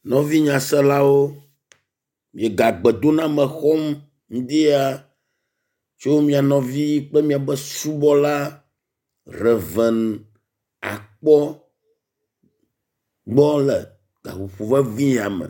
Nɔvi nyaselawo, miega gbedoname xɔm ŋdi ya tso mia nɔvi kple miaƒe subɔla Rev. Akpɔ gbɔ le gaƒoƒo vevi ya me.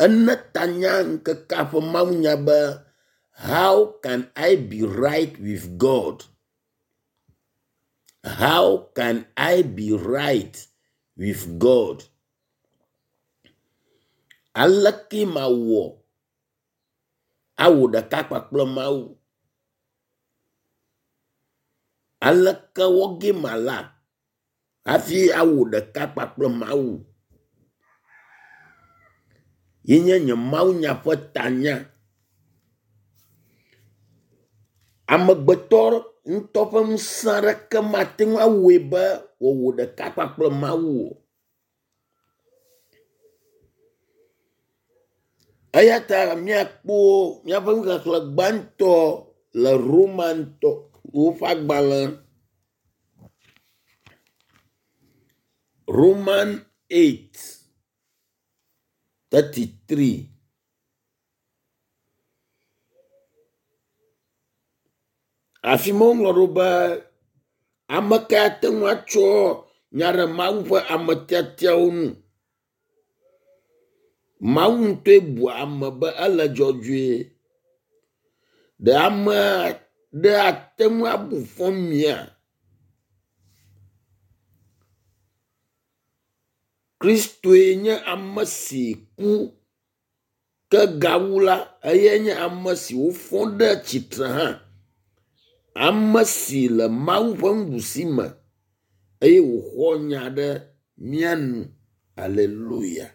Ene ta na ŋkekea ƒe mawunya be how can I be right with God? How can I be right with God? Aleke mawɔ awɔ ɖeka kpakple Mawu? Aleke wɔ ge mala hafi awɔ ɖeka kpakple Mawu? Ye nye nye mawunya ƒe tanya. Amegbetɔ ŋutɔ ƒe ŋusẽ aɖeke mate ŋu awɔe be wòawɔ ɖeka kpakple Mawu o. Eya ta míakpɔ míaƒe nuxexlẽ gbãtɔ le Romantɔwo ƒe agbalẽ Roman 8 33. Afi ma woŋlɔ ɖo be ame kae ate ŋu atsɔ nya ɖe Mawu ƒe ame tiatiawo ŋu? Mawu ŋutɔe bua ame be ele dzɔdzɔe. Ɖe ame aɖe ate ŋu abu fɔ mia? Kristoe nye ame si ku ke gawu la, eyae nye ame si wofɔ ɖe tsitre hã. Ame si le Mawu ƒe nuɖusi me eye wòxɔ nya ɖe mía nu. Aleluya.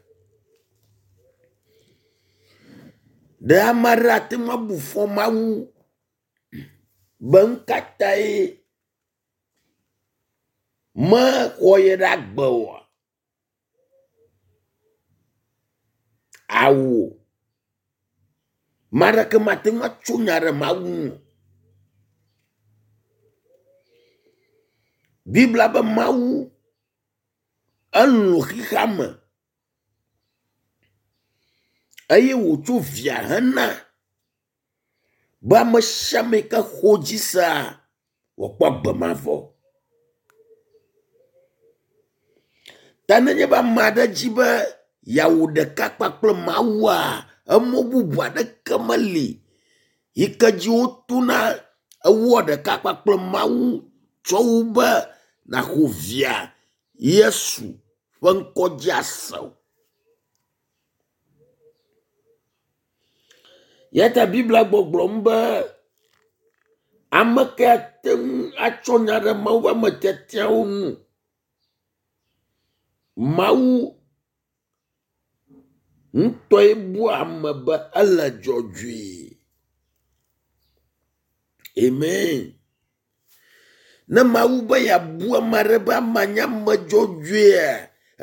Ɖe ame aɖe ate ŋu abu fɔ Mawu be nu ka tae mexɔ ye ɖe agbe oa? Awo. Ame aɖeke mate ŋu atso nya ɖe Mawu ŋu o. Biblia be Mawu elɔ̃ xexea me eye wòtso via hena be ame sia ame yi ke xɔ dzi sea wòakpɔ agbe mavɔ. Ta nenye be ame aɖe dzi be yeawɔ ɖeka kpakple Mawua, emɔ bubu aɖeke meli yi ke dzi wotona ewɔa ɖeka kpakple Mawu tsɔ wu be nàxɔ via Yesu ƒe ŋkɔ dzi ase o. Ya ta Biblia gbɔgblɔm be ame kae ate ŋu atsɔ nya ɖe Mawu ƒe ame tiatiawo ŋu? Mawu ŋutɔe bua ame be ele dzɔdzɔe. Amen. Ne Mawu be yeabu ame aɖe be amea nye ame dzɔdzɔea,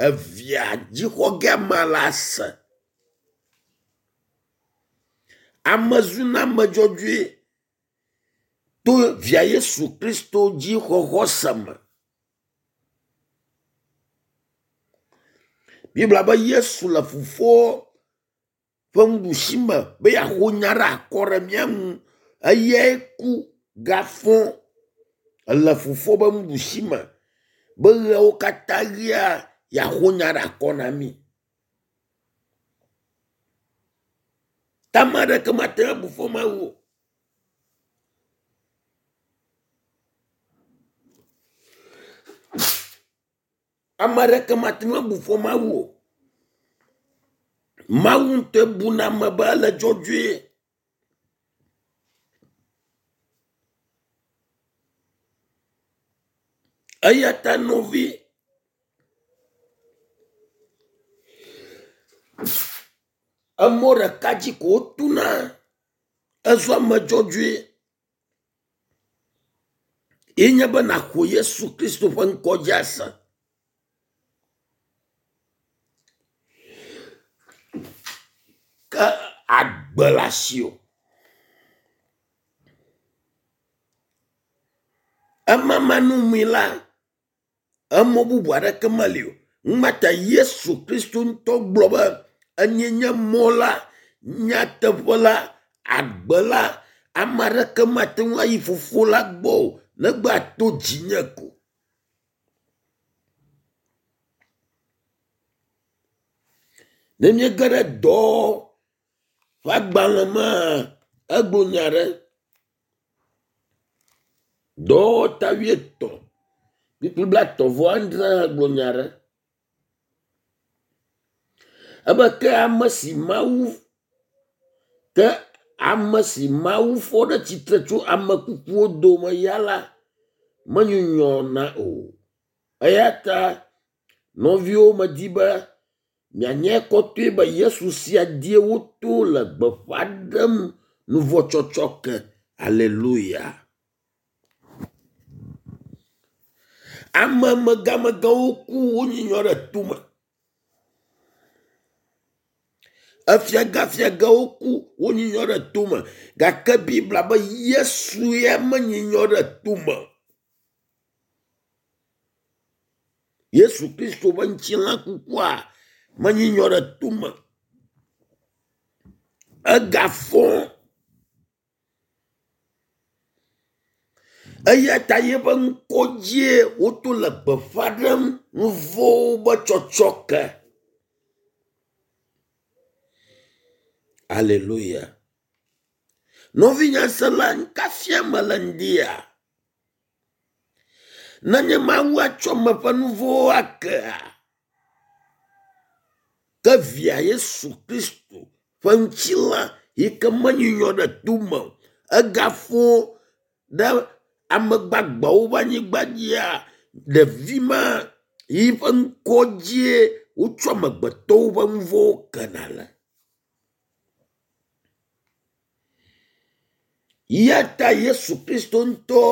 evia dzixɔ ge amea la se. Ame zuna ame dzɔdzɔe to via Yesu Kristo dzi xɔxɔ se me. Biblia be Yesu le fofoa ƒe nuɖusi me be yeaxo nya ɖe akɔ ɖe mía ŋu. Eyae ku gafɔ ele fofoa ƒe nuɖusi me be ɣeawo katã ɣia yeaxo nya ɖe akɔ na mí. Ta ame aɖeke mate ŋu abu fɔ Mawu o. Ame aɖeke mate ŋu abu fɔ Mawu o. Mawu ŋutɔe buna ame be ele dzɔdzɔe. Eya ta nɔvi, emɔ ɖeka dzi ko wotona ezu ame dzɔdzɔe. Ye nye be nàxɔ Yesu Kristo ƒe ŋkɔ dzi ase. Ke agbe le asiwò. Ema manɔmee la, emɔ bubu aɖeke meli o. Ŋmata Yesu Kristo ŋutɔ gblɔ be enye nye mɔ la, nyateƒe la, agbe la. Ame aɖeke mate ŋu ayi fofo la gbɔ o negbe ato dzinye ko. Ne míege ɖe dɔ ƒe agbalẽ mea, egblɔ nya ɖe. Dɔwɔwɔ wuietɔ̃ kpukpui blaetɔ̃ vɔ adre gblɔ nya ɖe. Ebe ke ame si Mawu ke ame si Mawu fɔ ɖe tsitre tso ame kukuwo dome ya la menyunyɔna o. Eya ta nɔviwo medi be mianyae kɔtɔe be Yesu sia dzie woto le gbeƒã ɖem nuvɔ̃tsɔtsɔke. Aleluya. Ame megamegãwo ku wonyinyɔ ɖe tome. Efiagafiagawo ku wonyinyɔ ɖe tome gake Biblia be Yesu ya menyinyɔ ɖe tome. Yesu Kristo ƒe ŋutilã kukua menyinyɔ ɖe tome. Egafɔ eya ta yeƒe ŋkɔ dzie woto le gbeƒã ɖem nu vɔ̃wo be tsɔtsɔke. Aleluya. Nɔvinyasela nuka fiam mele ŋdia? Nenye Mawu atsɔ ame ƒe nu vɔ̃wo akea, ke via Yesu Kristo ƒe ŋutilã yi ke menyunyɔ ɖe tome o, egafɔ ɖe ame gbagbewo ƒe anyigba dzia, ɖevi ma yi ƒe ŋkɔ dzie wotsɔ amegbetɔwo ƒe nu vɔ̃wo kena le. Ya ta Yesu Kristo ŋutɔ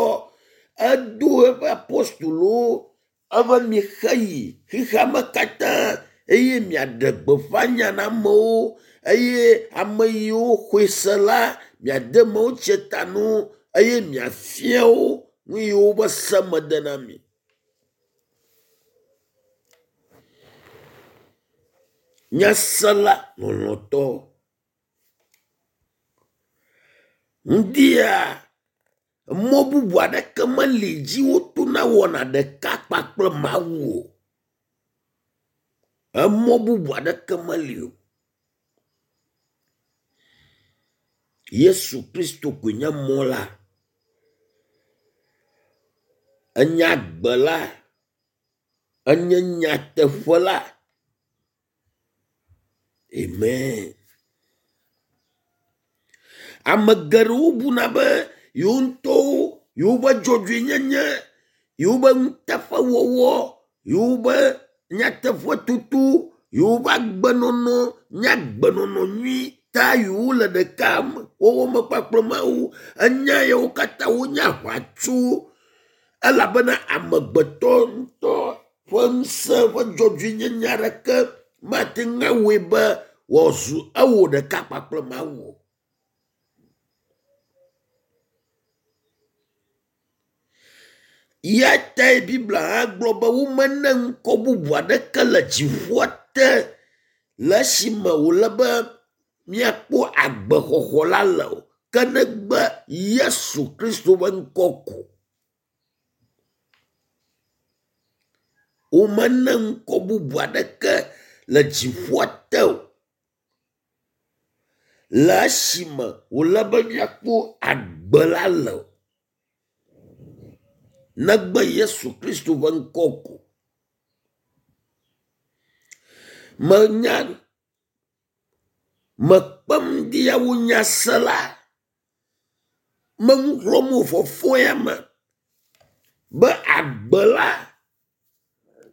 edo eƒe apostolowo ebe mixeyi xexeame katã eye miaɖe gbeƒã nya na amewo eye ame yiwo xɔe se la miade mawutsia ta na wo eye miafia wo nu yiwo be se mede na mi. Nyasela lɔlɔ̃tɔ. Ŋdia mɔ bubu aɖeke meli dzi wotona wɔna ɖeka kpakple Mawu o. Emɔ bubu aɖeke meli o. Yesu Kristo koe nye mɔ la. Enye agbe la. Enye nyateƒe la. Amen. Ame geɖewo buna be yewo ŋutɔwo yewoƒe dzɔdzɔenyenye, yewoƒe nuteƒewɔwɔ, yewoƒe nyateƒetoto, yewoƒe agbenɔnɔ nye agbenɔnɔ nyui ta yewole ɖeka wɔwɔ me kpakple Mawu. Enya yawo katã wonye aʋatso elabena amegbetɔ ŋutɔ ƒe ŋusẽ ƒe dzɔdzɔenyenye aɖeke mate ŋu awɔe be wòazu ewɔ ɖeka kpakple Mawu o. Ya tae Biblia hã gblɔ be womene ŋkɔ bubu aɖeke le dziƒoa te le esime wòle be míakpɔ agbexɔxɔ la le o, ke negbe Yesu Kristo ƒe ŋkɔ ko. Womene ŋkɔ bubu aɖeke le dziƒoa te o le esime wòle be míakpɔ agbe la le o, negbe Yesu Kristo ƒe ŋkɔ ko. Menya mekpem ɖia wo nyasela menu xlɔ̃m wò fɔfɔ ya me be agbe la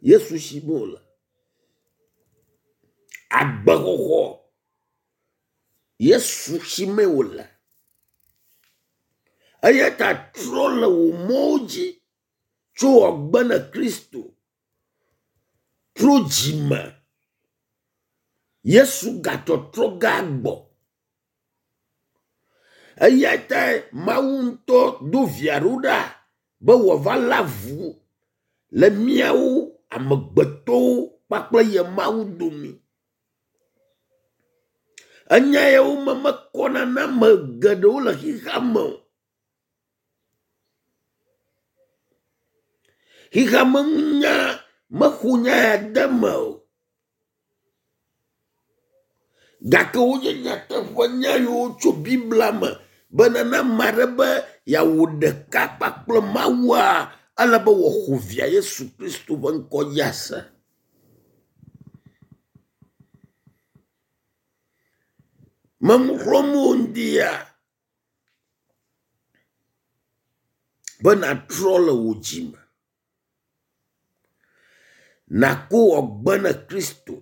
Yesu si me wòle. Agbexɔxɔ Yesu si mee wòle. Eya ta trɔ le wò mɔwo dzi tso wòagbe ne Kristo. Trɔ dzime. Yesu gatɔtrɔ gagbɔ. Eya tae Mawu ŋutɔ do via ɖo ɖa be wòava lé avu le míawo amegbetɔwo. kpakple ye Mawu domi. Enya yawo me mekɔna na ame geɖewo le xexea me o. Xexea me nunya mexɔ nya ya de eme o. Gake wonye nyateƒe nya yiwo tso Biblia me be ne ame aɖe be yeawɔ ɖeka kpakple Mawua, ele be wòaxɔ via Yesu Kristo ƒe ŋkɔ dzi ase. Menu xlɔ̃m wò ŋdi ya be nàtrɔ le wò dzi me. Nàko wò agbe na Kristo.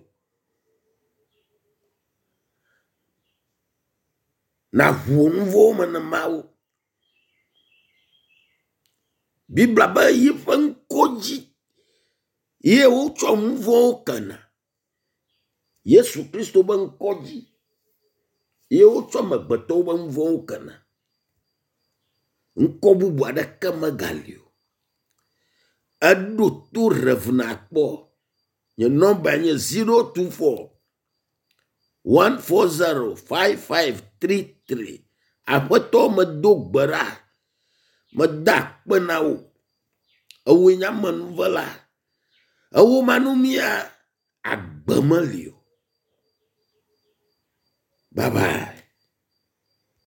Nàʋu wò nu vɔ̃wo me na Mawu. Biblia be yiƒe ŋkɔ dzi ye wotsɔ nu vɔ̃wo kena. Yesu Kristo be ŋkɔ dzi ye wotsɔ amegbetɔwo ƒe nu vɔ̃wo kena. Ŋkɔ bubu aɖeke megali o. Eɖo to Rev. Nakpɔ. Nye nɔmbae nye 024 140 5533. Aƒetɔ medo gbe ɖa. Meda akpe na wò. Ewòe nye amenuvela. Ewò manumia, agbe meli o. Bye bye.